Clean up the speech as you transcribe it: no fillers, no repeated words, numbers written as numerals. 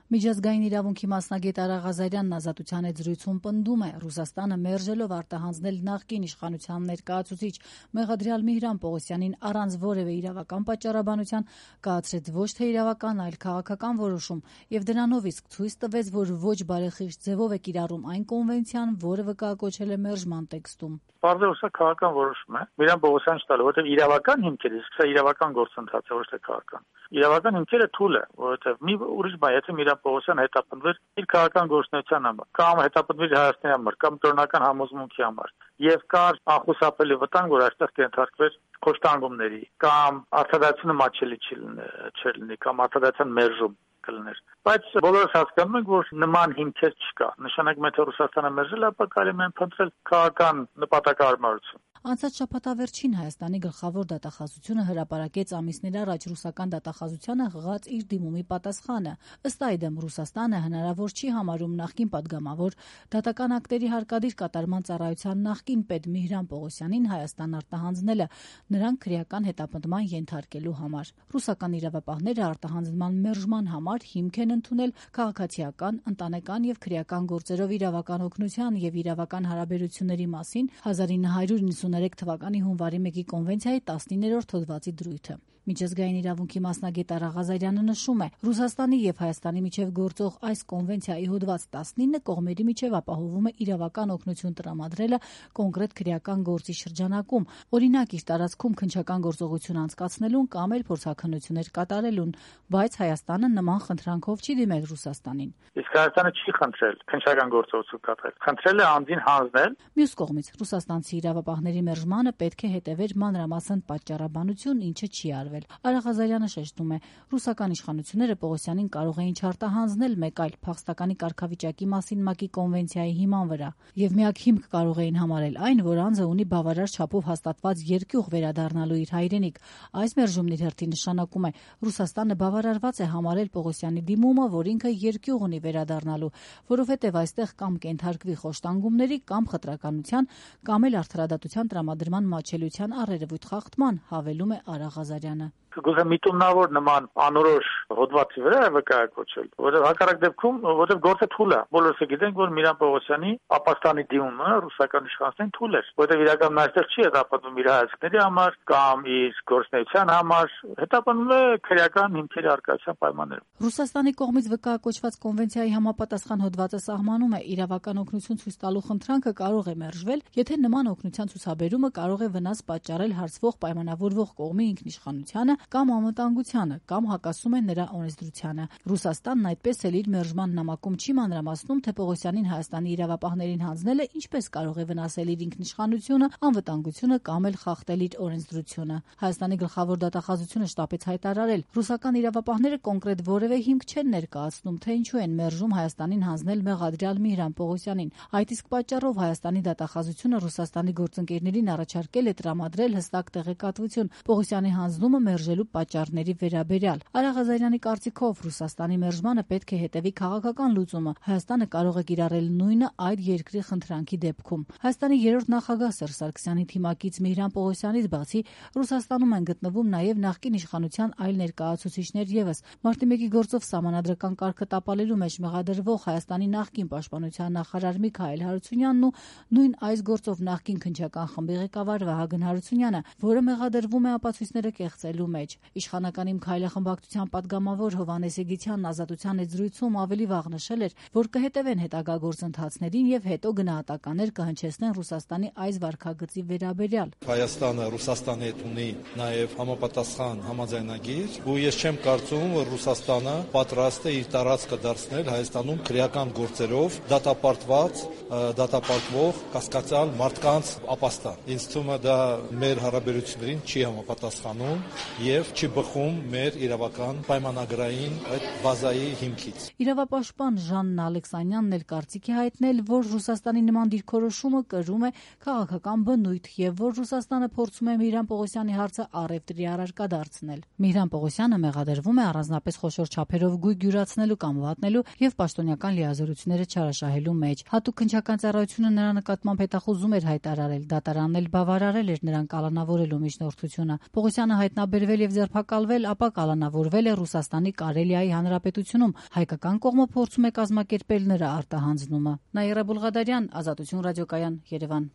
Միջազգային իրավունքի մասնագետ Արա Ղազարյանն Ազատության հետ զրույցում պնդում է, Ռուսաստանը մերժելով արտահանձնել նախկին իշխանության ներկայացուցիչ մեղադրյալ Միհրան Պողոսյանին առանց որևէ իրավական պատճառաբանության կայացրեց ոչ թե իրավական, այլ քաղաքական որոշում եւ դրանով իսկ ցույց տվեց, որ ոչ բարեխիղճ ձևով է կիրառում այն կոնվենցիան, որը վկայակոչել է մերժման տեքստում։ Պարզապես սա քաղաքական որոշում է։ Միհրան Պողոսյանին չտալու, որովհետև իրավական հիմքերը, իսկ սա իրավական գործընթաց է, ոչ թե քաղաքական։ Իրավական հիմքերը թույլ է, որովհետև մի ուրիշ բան, եթե Միհրան Պողոսյանը հետապնդվեր իր քաղաքական գործունեության համար, կամ հետապնդվեր Հայաստանի համար, կամ կրոնական համոզմունքի համար, եւ կար անխուսափելի վտանգ, որ այստեղ կենթարկվեր խոշտանգումների, կամ արտադրությունը մատչելի չլինի, կամ արտադրության մերժում կլներ։ Բայց բոլորս հասկանում ենք, որ նման հիմքեր չկա։ Նշանակում է, թե Ռուսաստանը մերժել, ապա կարելի է փնտրել քաղաքական նպատակահարմարություն։ Անցած շաբաթավերջին Հայաստանի գլխավոր դատախազությունը հրապարակեց ամիսներ առաջ ռուսական դատախազությանը հղած իր դիմումի պատասխանը։ Ըստ այդմ Ռուսաստանը հնարավոր չի համարում նախկին падգամավոր դատական ակտերի հարկադիր կատարման ծառայության նախկին պետ Միհրան Պողոսյանին Հայաստան արտահանձնելը նրան քրեական հետապնդման ենթարկելու համար։ Ռուսական իրավապահները արտահանձնման մերժման համար հիմք են ընդունել քաղաքացիական, ընտանեկան եւ քրեական գործերով իրավական օգնության եւ իրավական հարաբերությունների մասին 1993 թվականի հունվարի 1-ի կոնվենցիայի 19-րդ հոդվածի դրույթը։ Միջազգային իրավունքի մասնագետ Արա Ղազարյանը նշում է, Ռուսաստանի եւ Հայաստանի միջև գործող այս կոնվենցիայի հոդված 19 կողմերի միջև ապահովում է իրավական օգնություն տրամադրելը կոնկրետ քրեական գործի շրջանակում, օրինակ իր տարածքում քննչական գործողություն անցկացնելուն կամ էլ փորձաքննություններ կատարելուն, բայց Հայաստանը նման խնդրանքով չի դիմել Ռուսաստանին։ Իսկ Հայաստանը չի խնդրել քննչական գործողություն կատարել, խնդրել է անձին հանձնել։ Մյուս կողմից ռուսաստանցի իրավապահների մերժմանը պետք է հետևեր մանրամասն պատճառաբանություն, ինչը չի արվել։ Արա Ղազարյանը շեշտում է, ռուսական իշխանությունները Պողոսյանին կարող էին չարտահանձնել մեկ այլ փախստականի կարգավիճակի մասին ՄԱԿ-ի կոնվենցիայի հիման վրա, եւ միակ հիմք կարող էին համարել այն, որ անձը ունի բավարար չափով հաստատված երկյուղ վերադառնալու իր հայրենիք։ Այս մերժումն իր հերթին նշանակում է, Ռուսաստանը բավարարված է համարել Պողոսյանի դիմումը, որ ինքը երկյուղ ունի վերադառնալու, որովհետեւ այստեղ կամ կենթարկվի խոշտանգումների, կամ խտրականության, կամ էլ արդարադատության տրամադրման մատչելիության առերևույթ խախտման, հավելում է Արա Ղազարյանը։ Գուցե միտումնավոր նման անորոշ հոդվածի վրա է վկայակոչել, որովհետև հակառակ դեպքում, որովհետև գործը թույլ է։ Բոլորս գիտենք, որ Միհրան Պողոսյանի ապաստանի դիմումը ռուսական իշխանություններին թույլ էր, որովհետև իրականում այստեղ չի հետապնդվում իր հայացքների համար կամ իր գործնեության համար, հետապնդում է քրեական հիմքերի առկայության պայմաններում։ Ռուսաստանի կողմից վկայակոչված կոնվենցիայի համապատասխան հոդվածը սահմանում է, իրավական օգնություն ցույց տալու խնդրանքը կարող է մերժվել, եթե նման օգնության ցուցաբերումը կարող է վնաս պատճառել հարցվող պայմանավորվող կողմի ինքնիշխանությանը կամ անվտանգությանը, կամ հակասում է նրա օրենսդրությանը։ Ռուսաստանն այդպես էլ իր մերժման նամակում չի մանրամասնում, թե Պողոսյանին Հայաստանի իրավապահներին հանձնելը ինչպես կարող է վնասել իր ինքնիշխանությունը, անվտանգությունը կամ էլ խախտել իր օրենսդրությունը։ Հայաստանի գլխավոր դատախազությունը շտապեց հայտարարել, ռուսական իրավապահները կոնկրետ որևէ հիմք չեն ներկայացնում, թե ինչու են մերժում Հայաստանին հանձնել մեղադրյալ Միհրան Պողոսյանին։ Այդ իսկ պատճառով Հայաստանի դատախազությունը Ռուսաստանի գործընկերներին առաջարկել է տրամադրել հստակ տեղեկատվություն Պողոսյանի հանձնումը մերժելու պատճառների վերաբերյալ։ Արա Ղազարյանի կարծիքով Ռուսաստանի մերժմանը պետք է հետևի քաղաքական լուծումը։ Հայաստանը կարող է կիրառել նույնը այդ երկրի խնդրանքի դեպքում։ Հայաստանի երրորդ նախագահ Սերժ Սարգսյանի թիմակից Միհրան Պողոսյանից բացի Ռուսաստանում են գտնվում նաև նախկին իշխանության այլ ներկայացուցիչներ եւս։ Մարտի 1-ի գործով սահմանադրական կարգը տապալելու մեջ մեղադրվող Հայաստանի նախկին պաշտպանության նախարար Միքայել Հարությունյանն ու նույն այս գործով նախկին քննչական խմբի ղեկավար Վահագն Հարությունյանը, որը մեղադրվում է ապացույցները կեղծելու մեջ։ Իշխանական Իմ Քայլը խմբակցության падգամավոր Հովհաննես Եգիթյանն Ազատության հետ զրույցում ավելի վաղ նշել էր, որ կհետևեն հետագա գործընթացներին եւ հետո գնահատականներ կհնչեցնեն Ռուսաստանի այս վարքագծի վերաբերյալ։ Հայաստանը Ռուսաստանի հետ ունի նաեւ համապատասխան համաձայնագիր, ու ես չեմ կարծում, որ Ռուսաստանը պատրաստ է իր տարածքը դարձնել Հայաստանում քրեական գործերով դատապարտվող կասկածյալ մարդկանց ապաստան։ Ինձ թվում է դա մեր հարաբերություններին չի համապատասխանում եւ չի բխում մեր իրավական պայմանագրային այդ բազայի հիմքից։ Իրավապաշտպան Ժաննա Ալեքսանյանն էլ կարծիք է հայտնել, որ Ռուսաստանի նման դիրքորոշումը կրում է քաղաքական բնույթ եւ որ Ռուսաստանը փորձում է Միհրան Պողոսյանի հարցը առևտրի առարկա դարձնել։ Միհրան Պողոսյանը մեղադրվում է առանձնապես խոշոր չափերով գույք յուրացնելու կամ վատնելու եւ պաշտոնյական լիազորությունները չարաշահելու մեջ։ Հատուկ քննչական ծառայությունը նրա նկատմամբ հետախուզում էր հայտարարել, դատարանն էլ բավարարել էր նրան կալանավորելու միջնորդությունը։ Պողոսյանը վտանգաբերվել եւ ձերբակալվել, ապա կալանավորվել է Ռուսաստանի Կարելիայի Հանրապետությունում։ Հայկական կողմը փորձում է կազմակերպել նրա արտահանձնումը։ Նաիրա Բուլղադարյան, Ազատություն ռադիոկայան, Երևան։